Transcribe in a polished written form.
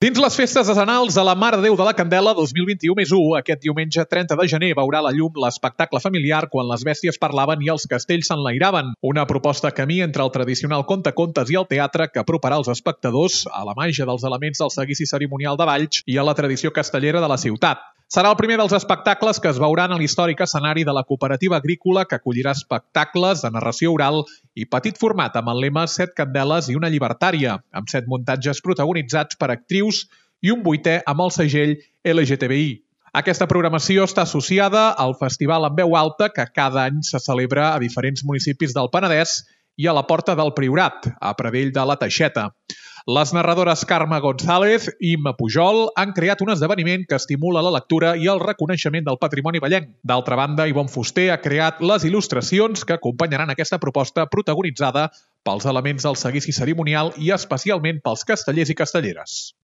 Dins les festes decenals de la Mare de Déu de la Candela 2021+1, aquest diumenge 30 de gener veurà la llum l'espectacle familiar Quan les bèsties parlaven i els castells s'enlairaven, una proposta camí entre el tradicional contacontes i el teatre que aproparà els espectadors a la màgia dels elements del seguici cerimonial de Valls i a la tradició castellera de la ciutat. Serà el primer dels espectacles que es veuran a l'històric escenari de la cooperativa agrícola que acollirà espectacles de narració oral i petit format amb el lema 7 candeles i una llibertària, amb 7 muntatges protagonitzats per actrius i un 8è amb el segell LGTBI. Aquesta programació està associada al Festival en Veu Alta que cada any se celebra a diferents municipis del Penedès i a la Porta del Priorat, a Pradell de la Teixeta. Les narradores Carme González i Imma Pujol han creat un esdeveniment que estimula la lectura i el reconeixement del patrimoni vallenc. D'altra banda, Ivonne Fuster ha creat les il·lustracions que acompanyaran aquesta proposta protagonitzada pels elements del seguici cerimonial i especialment pels castellers i castelleres.